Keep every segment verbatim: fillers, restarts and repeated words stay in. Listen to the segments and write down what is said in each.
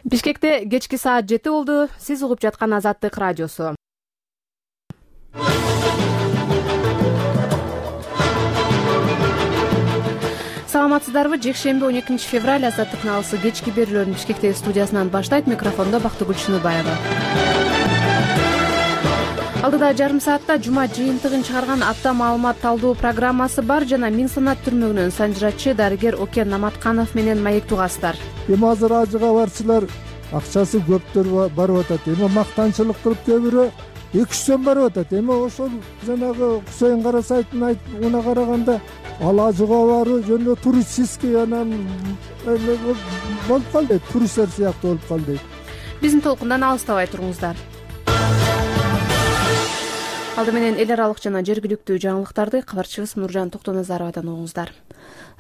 Бишкекте кечки саат жети болду. Сиз угуп жаткан Азаттык радиосу. Саламатсыздарбы? Жекшемби он экинчи февраль Азаттык налысы кечки берүүлөрүн Бишкектеги студиясынан баштайт. Микрофондо Бактыгүл Шыныбаева. Алдыда жарым саатта жума жыйынтыгын чыгарган апта маалымат талдоо программасы бар жана Миң санат түрмөгүнөн санжырачы дарыгер Окен Наматканов менен маектүү кастар. Эми азыр ажыга барчылар акчасы көптөр барып атат. Эми мактанчылык кылып көбүрө эки жүз сом барып атат. Эми ошол жанагы Кусейин Карасайтын айтына караганда ал ажыга баруу жөнүндө туристический анан болуп калды, туристтер сыяктуу болуп калды. Биздин толкундан алыстабай туруңуздар. Алды менен эл аралык жана жергиликтүү жаңылыктарды кабарчыбыз Нуржан Токтоназаровадан угуңуздар.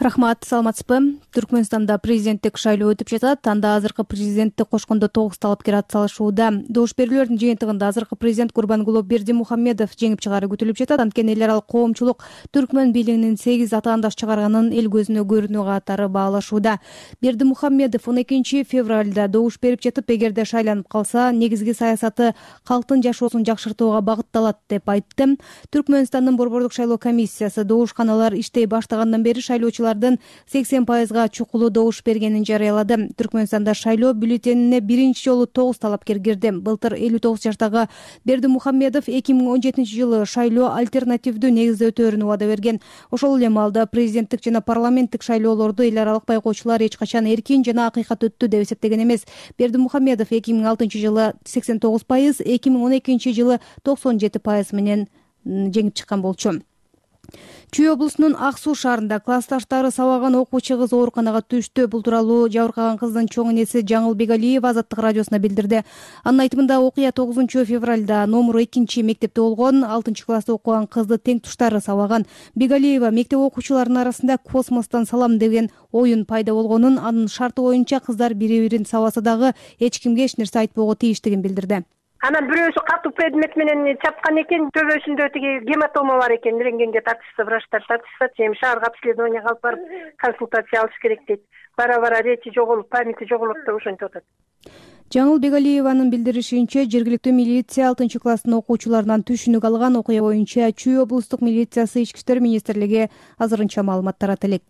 Рахмат, саламатсызбы? Түркмөнстанда президенттик шайлоо өтүп жатат. Анда азыркы президентти кошкондо тогуз талапкер атсалышууда. Добуш берүүлөрдүн жыйынтыгында азыркы президент Гурбангулы Бердимухамедов жеңип чыгаары күтүлүп жатат. Анткени эл аралык коомчулук Түркмөн бийлигинин сегиз атаандаш чыгарганын эл көзүнө көрүнүү катары баалашууда. Бердимухамедов он экинчи февралда добуш берип жатып, эгерде шайланып калса, негизги саясаты калктын жашоосун жакшыртууга багытталат деп айтты. Түркмөнстандын борбордук шайлоо комиссиясы добушканалар иштей баштагандан бери шайлоочулардын сексен пайызга чукулуу добуш бергенин жарыялады. Түркмөнстанда шайлоо бюллетенине биринчи жолу тогуз талапкер кирди. Былтыр элүү тогуз жаштагы Бердимухамедов эки миң он жетинчи жылы шайлоо альтернативдүү негизде өтөөрүн убада берген. Ошол эле маалда президенттик жана парламенттик шайлоолорду эл аралык байкоочулар эч качан эркин жана акыйкат өттү деп эсептеген эмес. Бердимухамедов эки миң алтынчы жылы сексен тогуз пайыз, эки миң он экинчи жылы токсон жети пайыз менен жеңип чыккан болчу. Чүй облусунун Ак Суу шаарында классташтары сабаган окуучу кыз ооруканага түштү. Бул тууралуу жабыркаган кыздын чоң энеси Жаңыл Бегалиева Азаттык радиосуна билдирди. Анын айтымында окуя тогузунчу февралда номуру экинчи мектепте болгон. алтынчы класста окуган кызды тең туштары сабаган. Бегалиева мектеп окуучуларынын арасында космостон салам деген оюн пайда болгонун, анын шарты боюнча кыздар бири-бирин сабаса дагы эч кимге эч нерсе айтпоого тийиштигин билдирди. Анан бирөөсү катуу предмет менен чапкан экен, төбөсүндө тиги гематома бар экен, рентгенге тартышса, врачтар тартышса, эми шаарга обследованияга алып барып консультация алыш керек дейт. Бара-бара речи жоголуп, памяти жоголот деп ошентип атат. Жаңыл Бегалиеванын билдиришинче, жергиликтүү милиция алтынчы класстын окуучуларынан түшүнүк алган. Окуя боюнча Чүй облустук милициясы Ички иштер министрлиги азырынча маалымат тарата элек.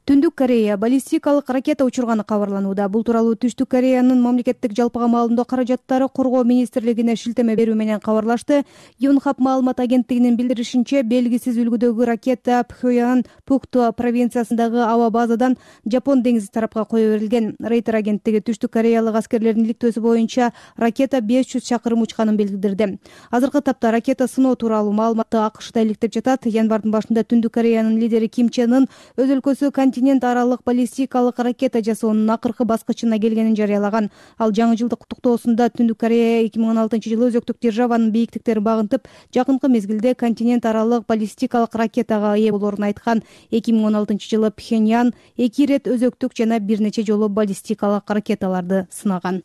Түндүк Корея баллистикалык ракета учурганы кабарланууда. Бул тууралуу Түштүк Кореянын мамлекеттик жалпыга маалымдоо каражаттары коргоо министрлигине шилтеме берүү менен кабарлашты. Юнхап маалымат агенттигинин билдиришинче, белгисиз үлгүдөгү ракета Пхёян Пукту провинциясындагы аба базадан Жапон деңизи тарапка кое берилген. Рейтер агенттиги Түштүк Кореялык аскерлердин иликтөөсү боюнча ракета беш жүз чакырым учканын билдирди. Азыркы тапта ракета сыноо тууралуу маалыматты АКШда иликтеп жатат. Январдын башында Түндүк Кореянын лидери Ким Чен Ын өз өлкөсү континент аралык баллистикалык ракета жасоонун акыркы баскычына келгенин жарыялаган. Ал жаңы жылдык куттуктоосунда Түндүк Корея эки миң он алтынчы жылы өзөктүк державанын бийиктиктерин багынтып, жакынкы мезгилде континент аралык баллистикалык ракетага ээ болоорун айткан. эки миң он алтынчы жылы Пхеньян эки ирет өзөктүк жана бир нече жолу баллистикалык ракеталарды сынаган.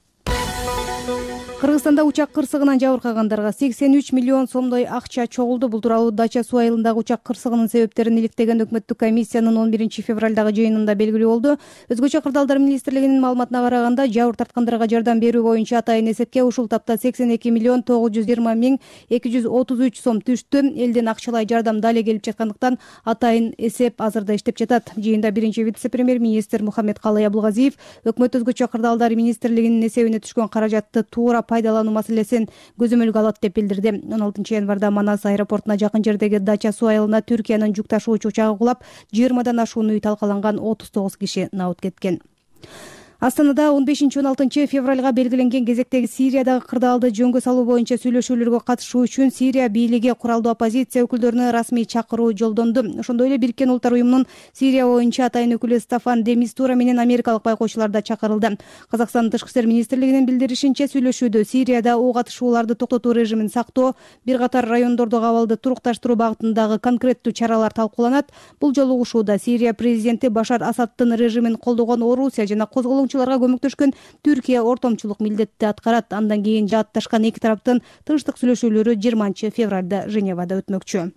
Кыргызстанда учак кырсыгынан жабыркагандарга сексен үч миллион сомдой акча чогулду. Бул тууралуу Дача суу айылындагы учак кырсыгынын себептерин иликтеген өкмөттүк комиссиянын он биринчи февралдагы жыйынында белгилүү болду. Өзгөчө кырдаалдар министрлигинин маалыматына караганда, жабыр тарткандарга жардам берүү боюнча атайын эсепке ушул тапта сексен эки миллион тогуз жүз жыйырма миң эки жүз отуз үч сом түштү. Элден акчалай жардам дале келип жаткандыктан атайын эсеп азырда иштеп жатат. Жыйында биринчи вице-премьер-министр Мухаммедкалый Абылгазиев өкмөт өзгөчө кырдаалдар министрлигинин эсебине түшкөн каражатты туура пайдалануу маселесин көзөмөлгө алат деп билдирди. он алтынчы январда Манас аэропортуна жакын жердеги Дача суу айылына Түркиянын жүк ташуучу учагы кулап, жыйырмадан ашуун үй талкаланган, отуз тогуз киши набыт кеткен. Астанада он бешинчи он алтынчы февралга белгиленген кезектеги Сириядагы кырдаалды жөнгө салуу боюнча сүйлөшүүлөргө катышуу үчүн Сирия бийлиги куралдуу оппозиция өкүлдөрүнө расмий чакыруу жолдонду. Ошондой эле Бириккен Улуттар уюмунун Сирия боюнча атайын өкүлү Стафан де Мистура менен америкалык байкоочулар да чакырылды. Казакстандын тышкы иштер министрлигинин билдиришинче, сүйлөшүүдө Сирияда ок атышууларды токтотуу режимин сактоо, бир катар райондордогу абалды турукташтыруу багытындагы конкреттүү чаралар талкууланат. Бул жолу угушууда Сирия президенти Башар Асадтын режимин колдогон Орусия жана козголоң көмөктөшкөн Түркия ортомчулук милдетти аткарат. Андан кийин жаатташкан эки тараптын тынчтык сүйлөшүүлөрү жыйырманчы февралда Женевада өтмөкчү.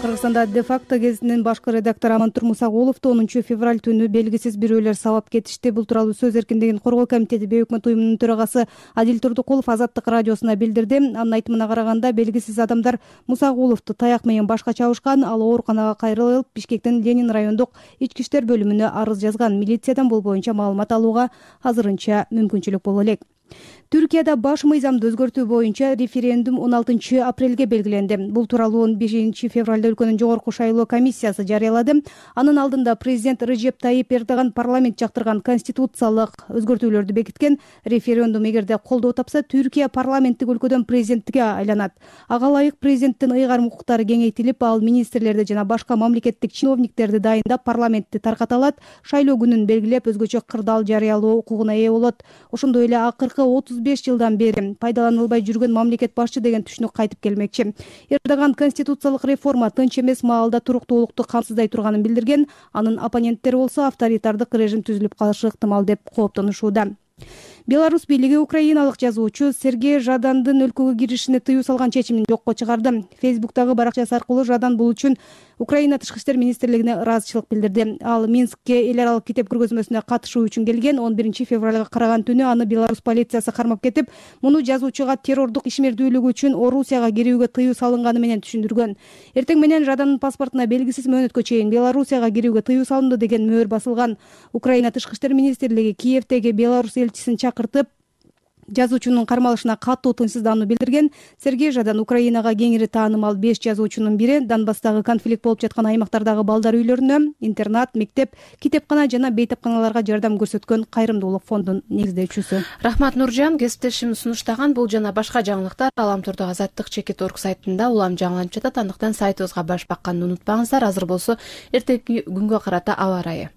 Кыргызстанда де факто гезитинин башкы редактору Амантур Мусагуловду онунчу февраль түнү белгисиз бирөөлөр сабап кетишти. Бул тууралуу Сөз эркиндигин коргоо комитети бейөкмөт уюмунун төрагасы Адил Турдукулов Азаттык радиосуна билдирди. Анын айтымына караганда, белгисиз адамдар Мусагуловду таяк менен башка чабышкан. Ал ооруканага кайрылып, Бишкектин Ленин райондук ички иштер бөлүмүнө арыз жазган. Милициядан бул боюнча маалымат алууга азырынча мүмкүнчүлүк боло элек. Түркияда баш мыйзамды өзгөртүү боюнча референдум он алтынчы апрелге белгиленди. Бул тууралуу он бешинчи февралда өлкөнүн жогорку шайлоо комиссиясы жарыялады. Анын алдында президент Режеп Тайип Эрдоган парламент жактырган конституциялык өзгөртүүлөрдү бекиткен. Референдум эгерде колдоо тапса, Түркия парламенттик өлкөдөн президентке айланат. Ага ылайык президенттин ыйгарым укуктары кеңейтилип, ал министрлерди жана башка мамлекеттик чиновниктерди дайындап, парламентти тарката алат. Шайлоо күнүн белгилеп, өзгөчө кырдаал жарыялоо укугуна ээ болот. Ошондой эле акыркы отуз беш жылдан бери пайдаланылбай жүргөн мамлекет башчы деген түшүнүк кайтып келмекчи. Эрдоган конституциялык реформа тынч эмес маалда туруктуулукту камсыздай турганын билдирген. Анын оппоненттери болсо авторитардык режим түзүлүп калышы ыктымал деп кооптонушууда. Беларусь бийлиги украиналык жазуучу Сергей Жадандын өлкөгө киришине тыюу салган чечимин жокко чыгарды. Фейсбуктагы баракчасы аркылуу Жадан бул үчүн Украина тышкы иштер министрлигине ыраазычылык билдирди. Ал Минскке эл аралык китеп көргөзмөсүнө катышуу үчүн келген. он биринчи февралга караган түнү аны Беларусь полициясы кармап кетип, муну жазуучуга террордук ишмердүүлүгү үчүн Орусияга кирүүгө тыюу салынганы менен түшүндүргөн. Эртең менен Жадандын паспортуна белгисиз мөөнөткө чейин Белоруссияга кирүүгө тыюу салынды деген мөөр басылган. Украина тышкы иштер министрлиги Киевдеги Беларусь элчисин чакыртып, жазуучунун кармалышына катуу тынчсыздануу билдирген. Сергей Жадан Украинага кеңири таанымал беш жазуучунун бири. Донбасстагы конфликт болуп жаткан аймактардагы балдар үйлөрүнө, интернат, мектеп, китепкана жана бейтапканаларга жардам көрсөткөн кайрымдуулук фондунун негиздөөчүсү. Рахмат Нуржан. Кесиптешим сунуштаган бул жана башка жаңылыктар Аламтурдагы Азаттык чекит орг сайтында улам жаңыланып жатат. Андыктан сайтыбызга баш бакканды унутпаңыздар. Азыр болсо эртеки күнгө карата аба ырайы.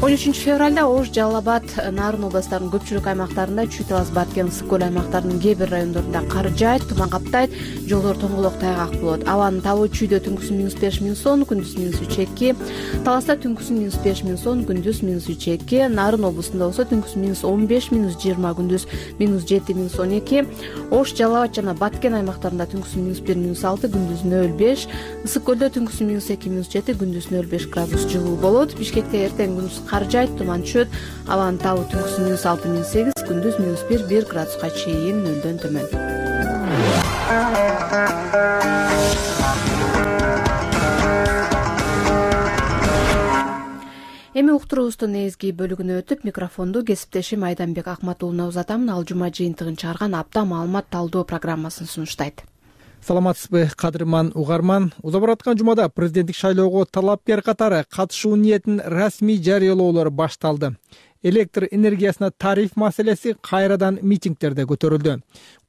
он үчүнчү февралда Ош, Жалал Абад, Нарын областарынын көпчүлүк аймактарында, Чүй, Талас, Баткен, Ысык көл аймактарынын кээ бир райондорунда кар жаайт, туман каптайт, жолдор тоңголок тайгак болот. Абанын табы Чүйдө түнкүсүн минус беш минус он, күндүз минус үч эки, Таласта түнкүсүн минус беш минус он, күндүз минус үч эки, Нарын облусунда болсо түнкүсүн минус он беш минус жыйырма, күндүз минус жети минус он эки, Ош, Жалал Абад жана Баткен аймактарында түнкүсүн минус бир минус алты, күндүз нөл беш, Ысык көлдө түнкүсүн минус эки минус жети, күндүз нөл беш градус жылуу болот. Бишкекте эртең күндүз кар жаайт, туман түшөт. Абанын табы түнкүсүн минус алты минус сегиз, күндүз минус бир бир градуска чейин нөлдөн төмөн. Эми уктуруубуздун негизги бөлүгүнө өтүп, микрофонду кесиптешим Айданбек Акматуулуна узатамын. Ал жума жыйынтыгын чыгарган апта маалымат талдоо программасын сунуштайт. Саламатсызбы, кадырман угарман. Уза бараткан жумада президенттик шайлоого талапкер катары катышуу ниетин расмий жарыялоолор башталды. Электр энергиясына тариф маселеси кайрадан митингдерде көтөрүлдү.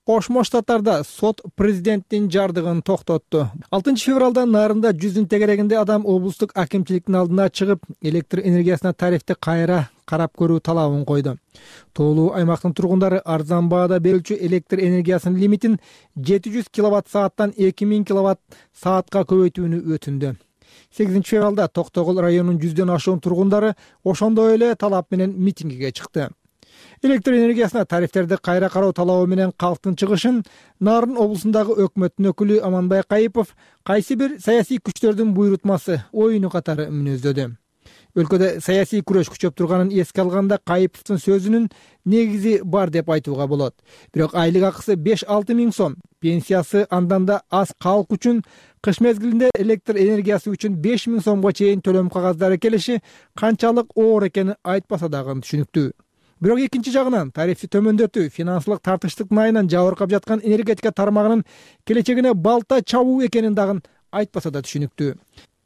Кошмо Штаттарда сот президенттин жардыгын токтотту. алтынчы февралда Нарында жүздүн тегерегинде адам облустук акимчиликтин алдына чыгып, электр энергиясына тарифти кайра карап көрүү талабын койду. Тоолуу аймактын тургундары арзан баада берүүчү электр энергиясынын лимитин жети жүз киловатт сааттан эки миң киловатт саатка көбөйтүүнү өтүндү. сегизинчи февралда Токтогул районунун жүздөн ашуун тургундары ошондой эле талап менен митингиге чыкты. Электр энергиясына тарифтерди кайра кароо талабы менен калктын чыгышын Нарын облусундагы өкмөттүн өкүлү Аманбай Кайыпов кайсы бир саясий күчтөрдүн буйрутмасы, оюну катары мүнөздөдү. Өлкөдө саясий күрөш күчөп турганын эске алганда Кайыповдун сөзүнүн негизи бар деп айтууга болот. Бирок айлык акысы беш алты миң сом, пенсиясы андан да аз калк үчүн кыш мезгилинде электр энергиясы үчүн беш миң сомго чейин төлөм кагаздары келиши канчалык оор экени айтпаса дагы түшүнүктүү. Бирок экинчи жагынан тарифти төмөндөтүү финансылык тартыштыктын айынан жабыркап жаткан энергетика тармагынын келечегине балта чабуу экенин дагы айтпаса да түшүнүктүү.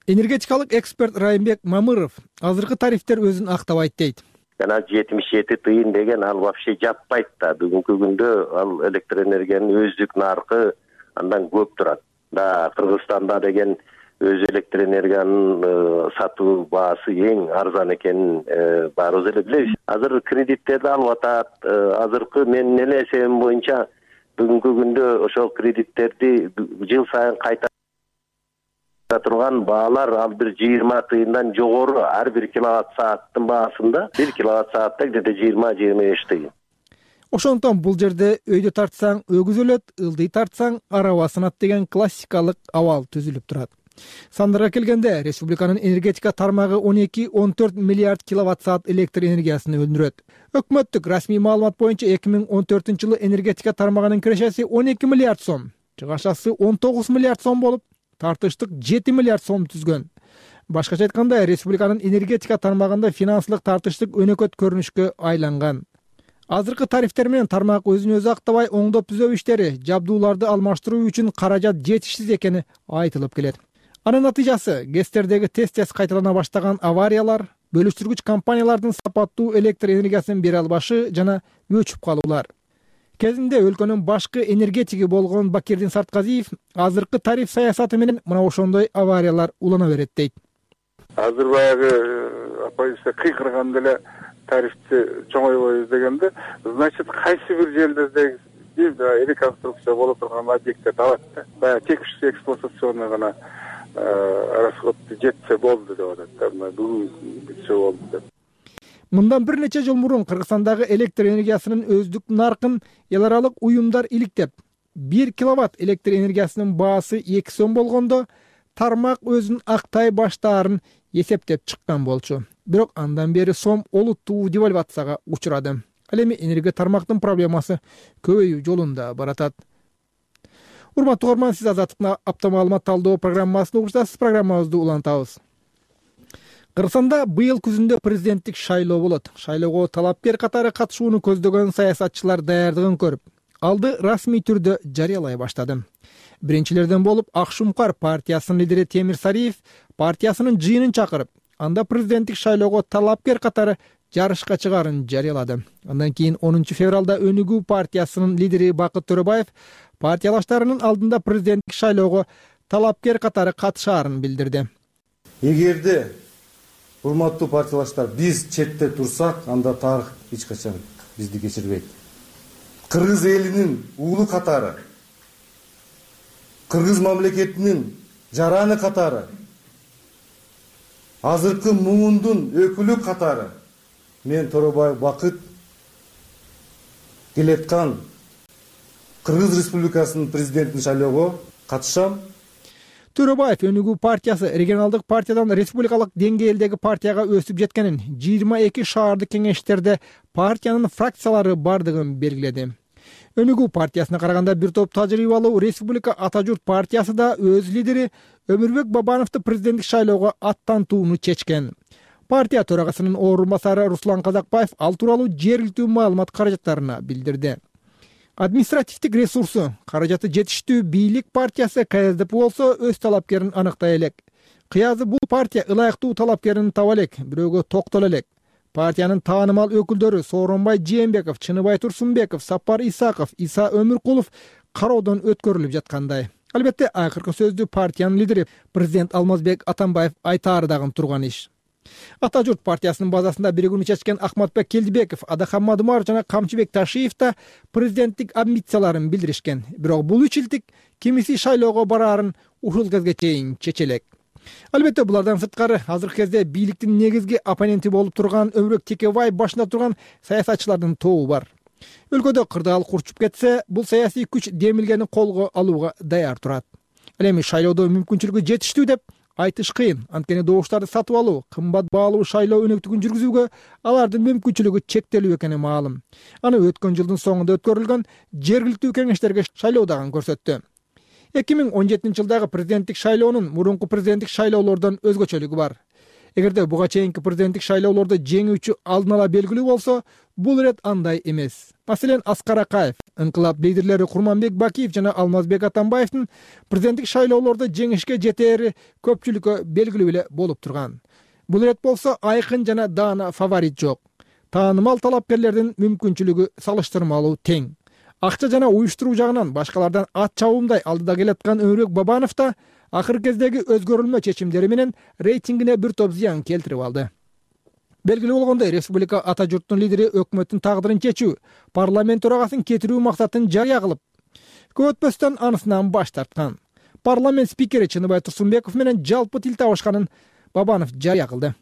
Энергетикалык эксперт Райымбек Мамыров азыркы тарифтер өзүн актабайт дейт. Жана жетимиш жети тыйын деген ал вообще жаппайт да. Бүгүнкү күндө ал электр энергиянын өздүк наркы андан көп турат. Да Кыргызстанда деген өз электр энергиянын сатуу баасы эң арзан экенин баарыбыз эле билебиз. Азыр кредиттерди алып атат. Азыркы менин эле эсебим боюнча бүгүнкү күндө ошол кредиттерди жыл сайын кайта турган баалар ал бир жыйырма тыйындан жогору. Ар бир киловатт сааттын баасында бир киловатт саатта где-то жыйырма жыйырма беш тыйын. Ошондуктан бул жерде өйдө тартсаң өгүз өлөт, ылдый тартсаң араба сынат деген классикалык абал түзүлүп турат. Сандарга келгенде республиканын энергетика тармагы он эки он төрт миллиард киловатт саат электр энергиясын өндүрөт. Өкмөттүк расмий маалымат боюнча эки миң он төртүнчү жылы энергетика тармагынын кирешеси он эки миллиард сом, чыгашасы он тогуз миллиард сом болуп, тартыштык жети миллиард сом түзгөн. Башкача айтканда, республиканын энергетика тармагында финансылык тартыштык өнөкөт көрүнүшкө айланган. Азыркы тарифтер менен тармак өзүн өзү актабай оңдоп түзөө иштери, жабдууларды алмаштыруу үчүн каражат жетишсиз экени айтылып келет. Анын натыйжасы ГЭСтердеги тез-тез кайталана баштаган авариялар, бөлүштүргүч компаниялардын сапаттуу электр энергиясын бере албашы жана өчүп калуулар. Кезинде өлкөнүн башкы энергетиги болгон Бакирдин Сартказиев азыркы тариф саясаты менен мына ошондой авариялар улана берет дейт. Азыр баягы апайыбызда кыйкырганда эле тарифти чоңойбойбуз дегенде, значит, кайсы бир жерлерде реконструкция боло турган объекттерди алат да. Баягы текущий эксплуатационный гана расходду жетсе болду деп атат. Бүгүн бүтсө болду деп. Мындан бир нече жыл мурун Кыргызстандагы электр энергиясынын өздүк наркын эл аралык уюмдар иликтеп, бир киловатт электр энергиясынын баасы эки сом болгондо тармак өзүн актай баштаарын эсептеп чыккан болчу. Бирок андан бери сом олуттуу девальвацияга учурады. Ал эми энергия тармактын проблемасы көбөйүү жолунда баратат. Урматтуу угарман, сиз Азаттыктын апта маалымат талдоо программасын угуп жатасыз. Программабызды улантабыз. Кыргызстанда быйыл күзүндө президенттик шайлоо болот. Шайлоого талапкер катары катышууну көздөгөн саясатчылар даярдыгын көрүп, алды расмий түрдө жарыялай баштады. Биринчилерден болуп Ак Шумкар партиясынын лидери Темир Сариев партиясынын жыйынын чакырып, анда президенттик шайлоого талапкер катары жарышка чыгаарын жарыялады. Андан кийин онунчу февралда Өнүгүү партиясынын лидери Бакыт Төрөбаев партиялаштарынын алдында президенттик шайлоого талапкер катары катышаарын билдирди. Эгерде, урматтуу партиялаштар, биз четте турсак, анда тарых эч качан бизди кечирбейт. Кыргыз элинин уулу катары, Кыргыз мамлекетинин жараны катары, азыркы муңундун өкүлү катары мен Төрөбаев Бакыт келеткан Кыргыз Республикасынын президентин шайлоого катышам. Төрөбаев Өнүгүү партиясы регионалдык партиядан республикалык деңгээлдеги партияга өсүп жеткенин, жыйырма эки шаардык кеңештерде партиянын фракциялары бардыгын белгиледи. Өнүгүү партиясына караганда бир топ тажрыйбалуу республика Ата журт партиясы да өз лидери Өмүрбек Бабановду президенттик шайлоого аттантууну чечкен. Партия төрагасынын орун басары Руслан Казакбаев ал тууралуу жергиликтүү маалымат каражаттарына билдирди. Административдик ресурсу, каражаты жетиштүү бийлик партиясы К С Д П болсо өз талапкерин аныктай элек. Кыязы бул партия ылайыктуу талапкерин таба элек, бирөөгө токтоло элек. Партиянын таанымал өкүлдөрү Сооронбай Жээнбеков, Чыныбай Турсунбеков, Сапар Исаков, Иса Өмүркулов кароодон өткөрүлүп жаткандай. Албетте, акыркы сөздү партиянын лидери президент Алмазбек Атамбаев айтаары дагы турган иш. Ата журт партиясынын базасында биригүүнү чечкен Ахматбек Келдибеков, Адахан Мадумар жана Камчыбек Ташиев да президенттик амбицияларын билдиришкен. Бирок бул үч илтик кимиси шайлоого бараарын ушул кезге чейин чечелек. Албетте, булардан сырткары азыркы кезде бийликтин негизги оппоненти болуп турган Өмүрбек Текебаев башында турган саясатчылардын тобу бар. Өлкөдө кырдаал курчуп кетсе, бул саясий күч демилгени колго алууга даяр турат. Ал эми шайлоодо мүмкүнчүлүгү жетиштүү деп айтыш кыйын. Анткени добуштарды сатып алуу, кымбат баалуу шайлоо өнөктүгүн жүргүзүүгө алардын мүмкүнчүлүгү чектелүү экени маалым. Аны өткөн жылдын соңунда өткөрүлгөн жергиликтүү кеңештерге шайлоо дагы көрсөттү. эки миң он жетинчи жылдагы президенттик шайлоонун мурунку президенттик шайлоолордон өзгөчөлүгү бар. Эгерде буга чейинки президенттик шайлоолордо жеңүүчү алдын ала белгилүү болсо, бул ирет андай эмес. Маселен, Аскар Акаев, ыңкылап лидерлери Курманбек Бакиев жана Алмазбек Атамбаевдин президенттик шайлоолордо жеңишке жетери көпчүлүккө белгилүү эле болуп турган. Бул ирет болсо айкын жана даана фаворит жок. Таанымал талапкерлердин мүмкүнчүлүгү салыштырмалуу тең. Акча жана уюштуруу жагынан башкалардан ат чабуумдай алдыда келаткан Өмүрбек Бабанов да акыркы кездеги өзгөрүлмө чечимдери менен рейтингине бир топ зыян келтирип алды. Белгилүү болгондой, республика Ата журттун лидери өкмөттүн тагдырын чечүү, парламент төрагасын кетирүү максатын жарыя кылып, көп өтпөстөн анысынан баш тарткан. Парламент спикери Чыныбай Турсунбеков менен жалпы тил табышканын Бабанов жарыя кылды.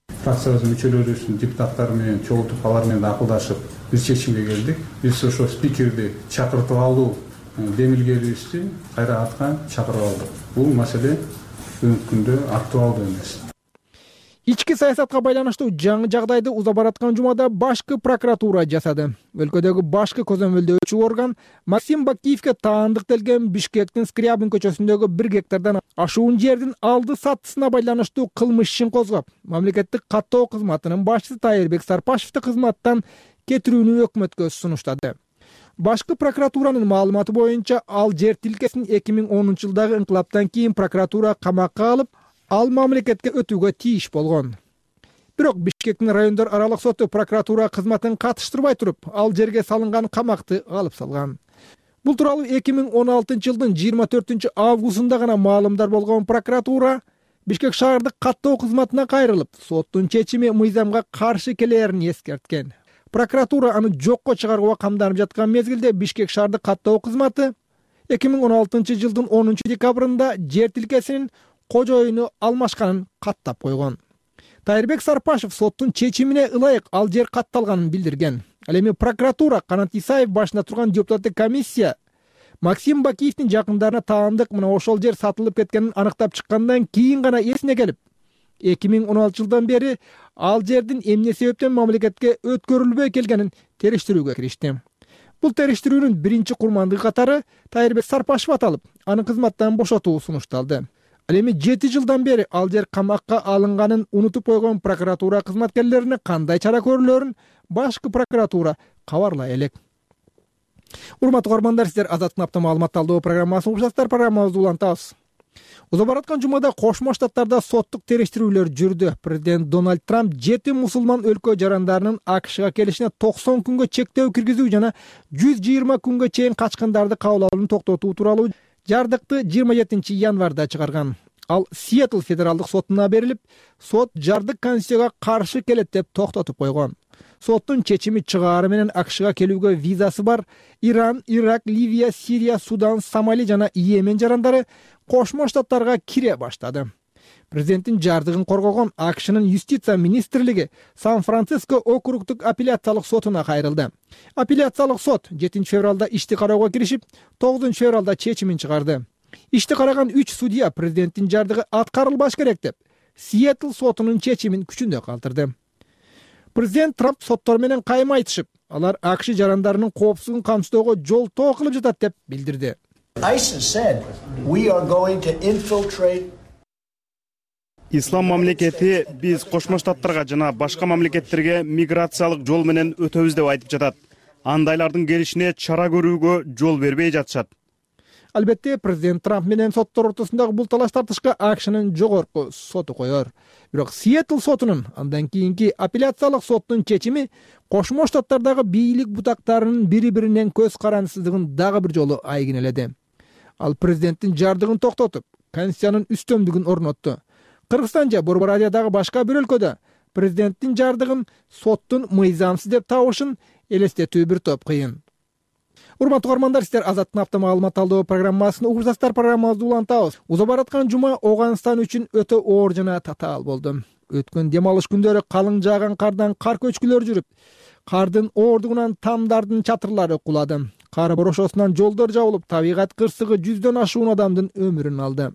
Фракциябыздын мүчөлөрүбүздүн депутаттары менен чогултуп алар менен акылдашып бир чечимге келдик. Биз ошо спикерди чакыртып алуу демилгелибизди кайра артка чакырып алдык. Бул маселе бүгүнкү күндө актуалдуу эмес. Ички саясатка байланыштуу жаңы жагдайды уза бараткан жумада башкы прокуратура жасады. Өлкөдөгү башкы көзөмөлдөөчү орган Максим Бакиевке таандык делген Бишкектин Скрябин көчөсүндөгү бир гектардан ашуун жердин алды сатысына байланыштуу кылмыш ишин козгоп, мамлекеттик каттоо кызматынын башчысы Тайырбек Сарпашевди кызматтан кетирүүнү өкмөткө сунуштады. Башкы прокуратуранын маалыматы боюнча ал жер тилкесин эки миң онунчу жылдагы инкылаптан кийин прокуратура камакка алып, ал мамлекетке өтүүгө тийиш болгон. Бирок Бишкектин райондор аралык соту прокуратура кызматын катыштырбай туруп, ал жерге салынган камакты алып салган. Бул тууралуу эки миң он алтынчы жылдын жыйырма төртүнчү августунда гана маалымдар болгон прокуратура Бишкек шаардык каттоо кызматына кайрылып, соттун чечими мыйзамга каршы келээрин эскерткен. Прокуратура аны жокко чыгарууга камданып жаткан мезгилде Бишкек шаардык каттоо кызматы эки миң он алтынчы жылдын онунчу декабрында жер тилкесинин кожоюну алмашканын каттап койгон. Тайырбек Сарпашев соттун чечимине ылайык ал жер катталганын билдирген. Ал эми прокуратура Канат Исаев башында турган депутаттык комиссия Максим Бакиевдин жакындарына таандык мына ошол жер сатылып кеткенин аныктап чыккандан кийин гана эсине келип, эки миң он алтынчы жылдан бери ал жердин эмне себептен мамлекетке өткөрүлбөй келгенин териштирүүгө киришти. Бул териштирүүнүн биринчи курмандыгы катары Тайырбек Сарпашев аталып, аны кызматтан бошотуу сунушталды. Ал эми жети жылдан бери ал жер камакка алынганын унутуп койгон прокуратура кызматкерлерине кандай чара көрүлөрүн башкы прокуратура кабарлай элек. Урматтуу көрөрмандар, сиздер Азаттык апта маалымат талдоо программасын угушасыздар. Программабызды улантабыз. Уза бараткан жумада Кошмо Штаттарда соттук териштирүүлөр жүрдү. Президент Дональд Трамп жети мусулман өлкө жарандарынын АКШга келишине токсон күнгө чектөө киргизүү жана жүз жыйырма күнгө чейин качкындарды кабыл алууну токтотуу тууралуу жардыкты жыйырма жетинчи январда чыгарган. Ал Сиэтл федералдык сотуна берилип, сот жардык Конституцияга каршы келет деп токтотуп койгон. Соттун чечими чыгаары менен АКШга келүүгө визасы бар Иран, Ирак, Ливия, Сирия, Судан, Сомали жана Йемен жарандары Кошмо Штаттарга кире баштады. Президенттин жардыгын коргогон АКШнын юстиция министрлиги Сан-Франциско округдук апелляциялык сотуна кайрылды. Апелляциялык сот жетинчи февралда ишти кароого киришип, тогузунчу февралда чечимин чыгарды. Ишти караган үч судья президенттин жардыгы аткарылбаш керек деп, Сиэтл сотунун чечимин күчүндө калтырды. Президент Трамп соттор менен кайым айтышып, алар АКШ жарандарынын коопсуздугун камсыздоого жолтоо кылып жатат деп билдирди. Ислам мамлекети биз Кошмо Штаттарга жана башка мамлекеттерге миграциялык жол менен өтөбүз деп айтып жатат. Андайлардын келишине чара көрүүгө жол бербей жатышат. Албетте, президент Трамп менен соттор ортосундагы бул талаш тартышка АКШнын жогорку соту коёр. Бирок Сиэтл сотунун андан кийинки апелляциялык соттун чечими Кошмо Штаттардагы бийлик бутактарынын бири-биринен көз карандысыздыгын дагы бир жолу айгинеледи. Ал президенттин жардыгын токтотуп, Конституциянын үстөмдүгүн орнотту. Кыргызстан же Борбор Азиядагы башка бир өлкөдө президенттин жардыгын соттун мыйзамсыз деп табышын элестетүү бир топ кыйын. Урматтуу көрөрмандар, сиздер Азаттык апта маалымат талдоо программасын угушасыздар. Программабызды улантабыз. Уза бараткан жума Ооганстан үчүн өтө оор жана татаал болду. Өткөн дем алыш күндөрү калың жааган кардан кар көчкүлөр жүрүп, кардын оордугунан тамдардын чатырлары кулады. Кар борошосунан жолдор жабылып, табигат кырсыгы жүздөн ашуун адамдын өмүрүн алды.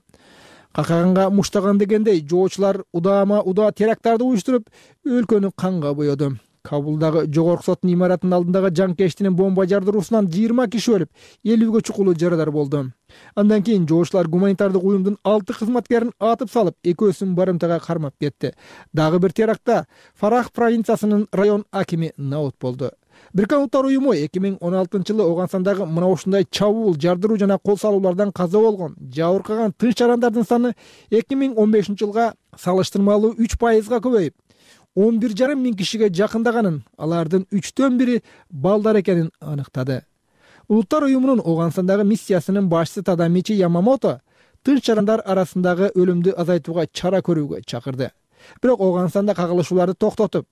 Какаганга муштаган дегендей, жоочулар удаама удаа теракттарды уюштуруп, өлкөнү канга боёду. Кабулдагы жогорку соттун имаратынын алдындагы жанкештинин бомба жардыруусунан жыйырма киши өлүп, элүүгө чукулуу жарадар болду. Андан кийин жоочулар гуманитардык уюмдун алты кызматкерин атып салып, экөөсүн барымтага кармап кетти. Дагы бир терактта Фарах провинциясынын район акими наут болду. Бириккен Улуттар уюму эки миң он алтынчы жылы Ооганстандагы мына ушундай чабуул, жардыруу жана кол салуулардан каза болгон, жабыркаган тынч жарандардын саны эки миң он бешинчи жылга салыштырмалуу үч пайызга көбөйүп, он бир жарым миң кишиге жакындаганын, алардын үчтөн бири балдар экенин аныктады. Улуттар уюмунун Ооганстандагы миссиясынын башчысы Тадамичи Ямамото тынч жарандар арасындагы өлүмдү азайтууга чара көрүүгө чакырды. Бирок Ооганстанда кагылышууларды токтотуп,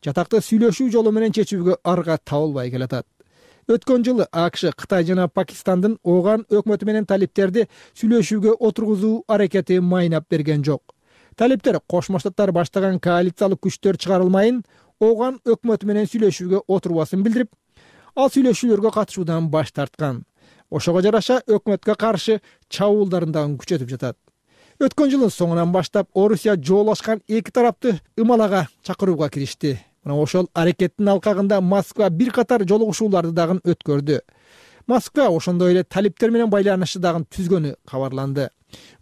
жатакты сүйлөшүү жолу менен чечүүгө арга табылбай келатат. Өткөн жылы АКШ, Кытай жана Пакистандын Ооган өкмөтү менен талиптерди сүйлөшүүгө отургузуу аракети майнап берген жок. Талиптер Кошмо Штаттар баштаган коалициялык күчтөр чыгарылмайын Оган өкмөтү менен сүйлөшүүгө отурбасын билдирип, ал сүйлөшүүлөргө катышуудан баш тарткан. Ошого жараша өкмөткө каршы чабуулдарын дагы күчөтүп жатат. Өткөн жылдын соңунан баштап Орусия жоолашкан эки тарапты ымалага чакырууга киришти. Мына ошол аракеттин алкагында Москва бир катар жолугушууларды дагы өткөрдү. Москва ошондой эле талиптер менен байланышты дагы түзгөнү кабарланды.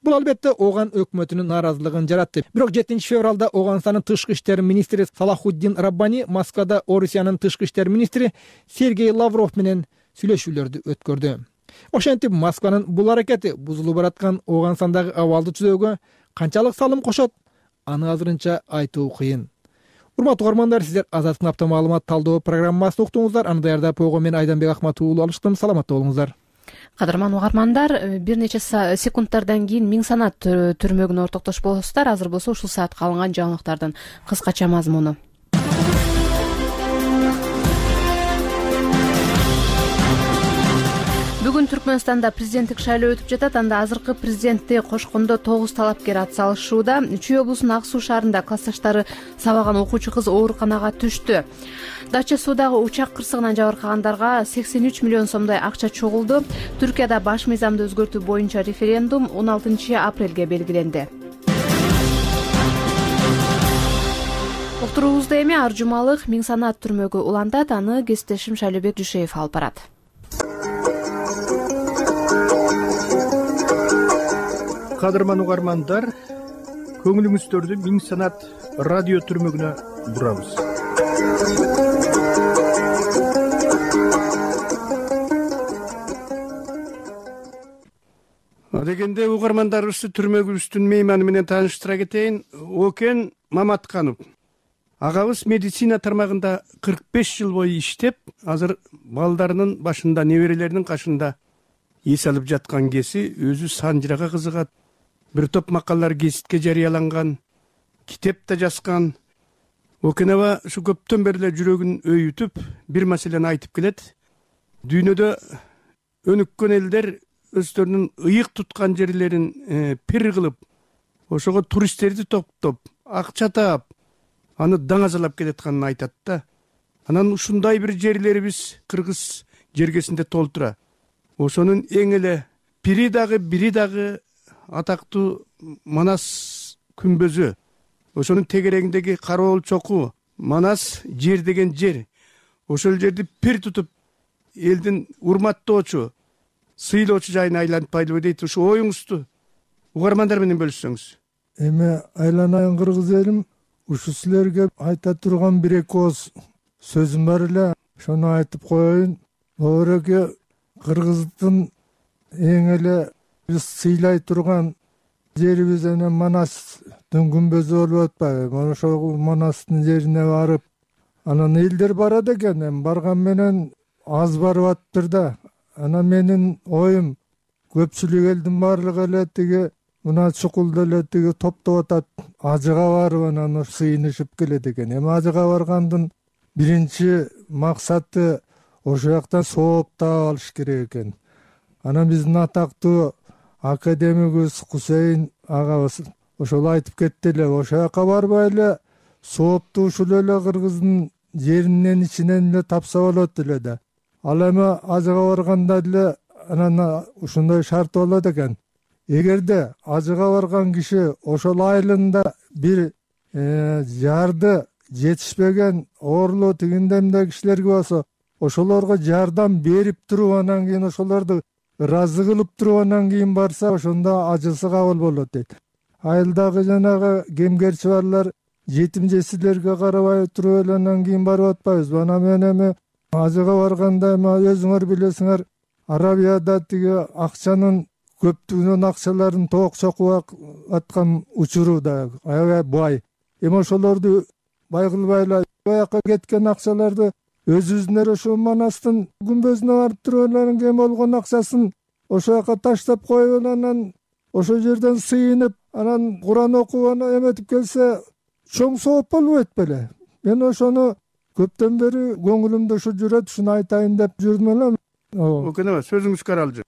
Бул албетте Оган өкмөтүнүн нааразылыгын жаратты. Бирок жетинчи февралда Оганстандын тышкы иштер министри Салахуддин Раббани Москвада Орусиянын тышкы иштер министри Сергей Лавров менен сүйлөшүүлөрдү өткөрдү. Ошентип Москванын бул аракети бузулуп бараткан Оганстандагы абалды түзөөгө канчалык салым кошот, аны азырынча айтуу кыйын. Урматтуу угармандар, сиздер Азаттык апта маалымат талдоо программасын уктуңуздар. Аны даярдап койгон мен Айданбек Акматов уулу алыштым. Саламатта болуңуздар. Кадырман угармандар, бир нече секундтардан кийин Миң санат түрмөгүнө ортоктош болосуздар. Азыр болсо ушул саатка алынган жаңылыктардын кыскача мазмуну. Бүгүн Түркмөнстанда президенттик шайлоо өтүп жатат. Анда азыркы президентти кошкондо тогуз талапкер ат салышууда. Чүй облусунун Ак Суу шаарында классташтары сабаган окуучу кыз ооруканага түштү. Дача Суудагы учак кырсыгынан жабыркагандарга сексен үч миллион сомдой акча чогулду. Түркияда баш мыйзамды өзгөртүү боюнча референдум он алтынчы апрелге белгиленди. Олтуруубузда эми ар жумалык Миң санат түрмөгү улантат. Аны кесиптешим Шайлообек Дүйшеев алып барат. Кадырман угармандар, көңүлүңүздөрдү Миң санат радио түрмөгүнө бурабыз. Дегенде угармандарыбызды түрмөгүбүздүн мейманы менен тааныштыра кетейин. Окен Маматканов. Агабыз медицина тармагында кырк беш жыл бою иштеп, азыр балдарынын башында, неберелеринин кашында эс алып жаткан кези, өзү санжырага кызыгат. Бир топ макалалар гезитке жарыяланган, китеп да жазган. Окен аба ушу көптөн бери эле жүрөгүн өйүтүп, бир маселени айтып келет. Дүйнөдө өнүккөн элдер өздөрүнүн ыйык туткан жерлерин пир кылып, ошого туристтерди топтоп, акча таап, аны даңазалап келатканын айтат да. Анан ушундай бир жерлерибиз Кыргыз жергесинде толтура. Ошонун эң эле бири дагы бири дагы атактуу Манас күмбөзү. Ошонун тегерегиндеги Кароол чоку, Манас жер деген жер. Ошол жерди пир тутуп, элдин урматтоочу, сыйлоочу жайына айлантпайлыбы дейт. Ушу оюңузду угармандар менен бөлүшсөңүз. Эми айланайын кыргыз элим, ушу силерге айта турган бир эки ооз сөзүм бар эле, ошону айтып коеюн. Оореке Кыргыздын эң эле биз сыйлай турган жерибиз эне Манастын күмбөзү болуп атпайбы? Ошол Манастын жерине барып, анан элдер барат экен, эми барган менен аз барып атыптыр да. Анан менин оюм, көпчүлүк элдин баардыгы эле тиги мына чукулда эле тиги топтоп атат, ажыга барып анан сыйынышып келет экен. Эми ажыга баргандын биринчи максаты ошол жактан сооп таап алыш керек экен. Анан биздин атактуу академигибиз Кусейин агабыз ошол айтып кетти эле, ошол жака барбай эле соопту ушул эле Кыргыздын жеринен ичинен эле тапса болот эле да. Ал эми ажыга барганда эле анан ушундай шарт болот экен. Эгерде ажыга барган киши ошол айылында бир жарды жетишпеген оорулуу тигиндемде кишилерге болсо, ошолорго жардам берип туруп, анан кийин ошолорду ыраазы кылып туруп, анан кийин барса, ошондо ажысы кабыл болот дейт. Айылдагы жанагы кемгерчи барлар жетим жесирлерге карабай туруп эле анан кийин барып атпайбызбы? Анан мен эми ажыга барганда эми өзүңөр билесиңер, Арабияда тиги акчанын көптүгүнөн акчаларын тоок чокуп аткан учуруда аябай бай. Эми ошолорду бай кылбай эле бияка кеткен акчаларды өзүбүздүн ошо Манастын күмбөзүнө барып туруп эле кем болгон акчасын ошол жака таштап коюп, анан ошол жерден сыйынып, анан Куран окуп анан эметип келсе, чоң сооп болбойт беле? Мен ошону көптөн бери көңүлүмдө ушу жүрөт, ушуну айтайын деп жүрдүм эле. Окен аба, сөзүңүз каралжы.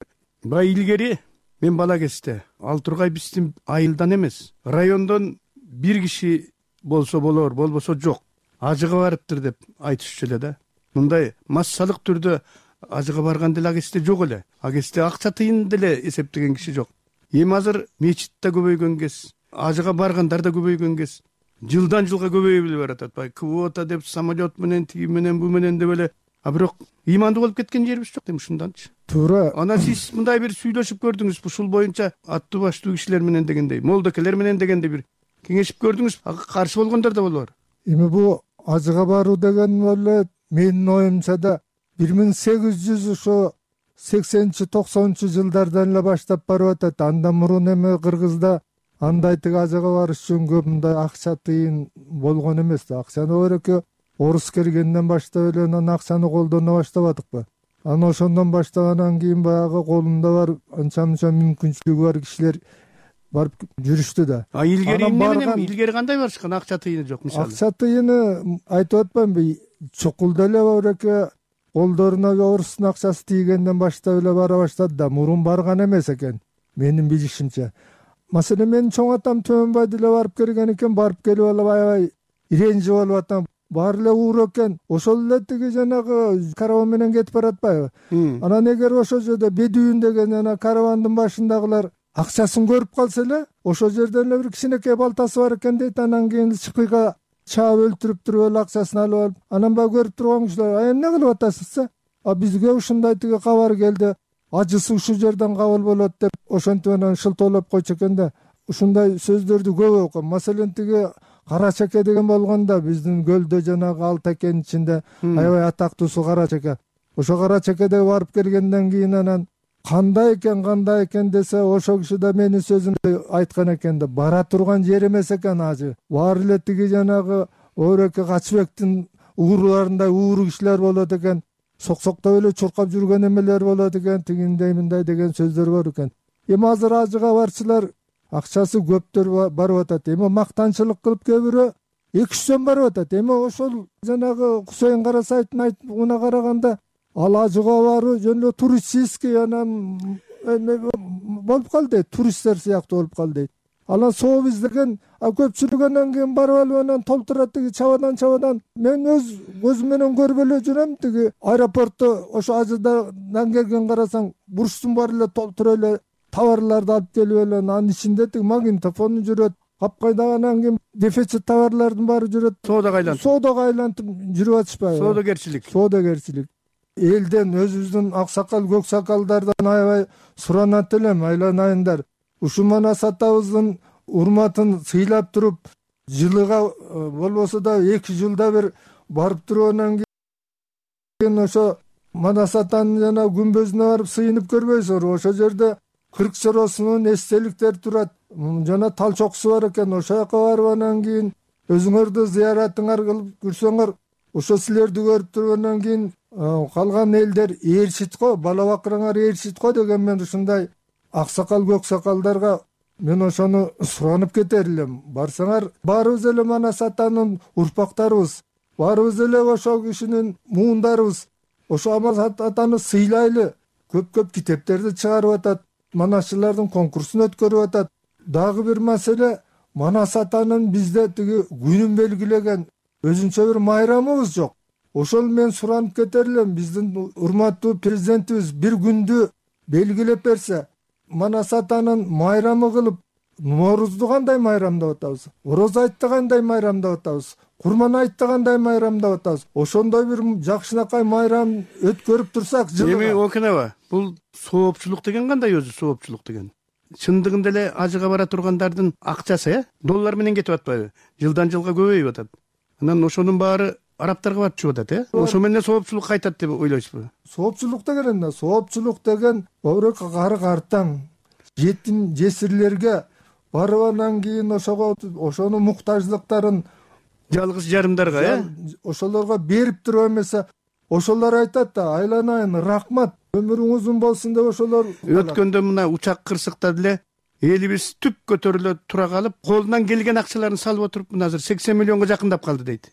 Бай илгери мен бала кезде ал тургай биздин айылдан эмес, райондон бир киши болсо болор, болбосо жок, ажыга барыптыр деп айтышчу эле да. Мындай массалык түрдө ажыга барган деле агесте жок эле. Агесте акча тыйын деле эсептеген киши жок. Эми азыр мечит да көбөйгөн кез, ажыга баргандар да көбөйгөн кез. Жылдан жылга көбөйүп эле баратат. Бай квота деп самолет менен, тиги менен, бу менен деп эле. А бирок ыймандуу болуп кеткен жерибиз жок, эми ушунданчы. Туура. Анан сиз мындай бир сүйлөшүп көрдүңүз, ушул боюнча аттуу баштуу кишилер менен дегендей, молдокелер менен дегендей бир кеңешип көрдүңүз, ага каршы болгондор да болор. Эми бу ажыга баруу деген эле менин оюмча да бир миң сегиз жүз ошо сексенинчи токсонунчу жылдардан эле баштап барып атат. Андан мурун эми Кыргызда андай тиги ажыга барыш үчүн көп мындай акча тыйын болгон эмес да. Акчаны ойрөкө орус келгенден баштап эле анан акчаны колдоно баштабадыкпы? Анан ошондон баштагандан кийин баягы колунда бар анча мынча мүмкүнчүлүгү бар кишилер барып жүрүштү да. А илгери эмне менен, илгери кандай барышкан? Акча тыйыны жок мисалы. Акча тыйыны айтып атпаймынбы? Чокулда эле ойрөкө колдоруна орустун акчасы тийгенден баштап эле бара баштады да. Мурун барган эмес экен, менин билишимче. Маселен, менин чоң атам Төмөнбай деле барып келген экен, барып келип алып аябай иренжи болуп атам. Баары эле уур экен. Ошол эле тиги жанагы караван менен кетип баратпайбы? Анан эгер ошол жерде Бедуин деген жана каравандын башындагылар акчасын көрүп калса эле, ошол жерден эле бир кичинекей балтасы бар экен дейт. Анан кийин чыкыйга чаап өлтүрүп туруп эле акчасын алып алып, анан баягы көрүп турган кишилер: "А эмне кылып атасыз? А бизге ушундай тиги кабар келди. Ажысы ушул жерден кабыл болот" деп ошентип анан шылтоолоп койчу экен да. Ушундай сөздөрдү көп окугам. Маселен, тиги Кара чеке деген болгондо биздин көлдө жанагы Алтакенин ичинде аябай атактуусу Кара чеке. Ошо Кара чекеде барып келгенден кийин анан кандай экен, кандай экен десе, ошол киши да менин сөзүмдү айткан экен да. Бара турган жер эмес экен ажы. Баары эле тиги жанагы Өрөкө Качыбектин ууруларындай ууру кишилер болот экен. Соксоктоп эле чуркап жүргөн эмелер болот экен, тигиндей мындай деген сөздөр бар экен. Эми азыр ажыга барчылар акчасы көптөр барып атат. Эми мактанчылык кылып кээ бирөө эки жүз сом барып атат. Эми ошол жанагы Кусейин Карасайдын айтымына караганда ал ажыга баруу жөн эле туристический анан болуп калды дейт, туристтер сыяктуу болуп калды дейт. Анан сообиз деген көпчүлүк анан кийин барып алып анан толтурат тиги чабадан чабадан. Мен өз көзүм менен көрүп эле жүрөм, тиги аэропортто ошо ажыдан келген карасаң бурчтун баары эле толтура эле товарларды алып келип эле, анын ичинде тиги магнитофон жүрөт, капкайда анан кийин дефицит товарлардын баары жүрөт. Соодага айлантып, соодага айлантып жүрүп атышпайбы? Соодагерчилик. Соодагерчилик. Элден, өзүбүздүн аксакал, көксакалдардан аябай суранат элем, айланайындар. Ушул Манас атабыздын урматын сыйлап туруп, жылыга болбосо да эки жылда бир барып туруп, анан кийин ошо Манас атанын жана күмбөзүнө барып сыйынып көрбөйсүңөр? Ошол жерде кырк чоросунун эстеликтери турат, жана тал чокусу бар экен. Ошол жака барып анан кийин өзүңөрдү зыяратыңар кылып жүрсөңөр, ошо силерди көрүп туруп анан кийин калган элдер ээрчит го, бала бакыраңар ээрчит го деген мен ушундай аксакал көксакалдарга мен ошону суранып кетер элем. Барсаңар, баарыбыз эле Манас атанын урпактарыбыз, баарыбыз эле ошол кишинин муундарыбыз. Ошо Манас атаны сыйлайлы. Көп-көп китептерди чыгарып атат, манасчылардын конкурсун өткөрүп атат. Дагы бир маселе, Манас атанын бизде тиги күнүн белгилеген өзүнчө бир майрамыбыз жок. Ошол мен суранып кетер элем, биздин урматтуу президентибиз бир күндү белгилеп берсе, Манас атанын майрамы кылып, Ноорузду кандай майрамдап атабыз, Ороз айтты кандай майрамдап атабыз, Курман айтты кандай майрамдап атабыз. Ошондой бир жакшынакай майрам өткөрүп турсак жылга. Эми окунаба, бул соопчулук деген кандай өзү соопчулук деген? Чындыгында эле ажыга бара тургандардын акчасы, э, доллар менен кетип атпайбы? Жылдан жылга көбөйүп атат. Анан ошонун баары арабтарга барып чыгып атат, э? Ошо менен соопчулук кайтат деп ойлойсузбу? Соопчулук деген эмне? Соопчулук деген көбүрөөк кары картаң, жетим жесирлерге барып анан кийин ошого ошонун муктаждыктарын жалгыз жарымдарга, э? Ошолорго берип туруп эмесе, ошолор айтат да, айланайын, рахмат, өмүрүң узун болсун деп ошолор. Өткөндө мына учак кырсыктады эле, элибиз түп көтөрүлө тура калып, колунан келген акчаларын салып отуруп, мына азыр сексен миллионго жакындап калды дейт.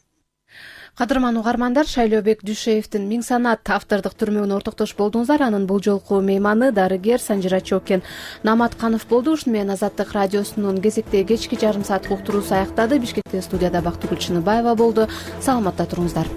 Кадырман угармандар, Шайлообек Дүйшеевдин Миң санат автордук түрмөгүнө ортоктош болдуңуздар. Анын бул жолку мейманы дарыгер Санжира Чокен Наматканов болду. Ушуну менен Азаттык радиосунун кезектеги кечки жарым сааттык уктуруусу аяктады. Бишкектен студияда Бактыгүл Чыныбаева болду. Саламатта туруңуздар.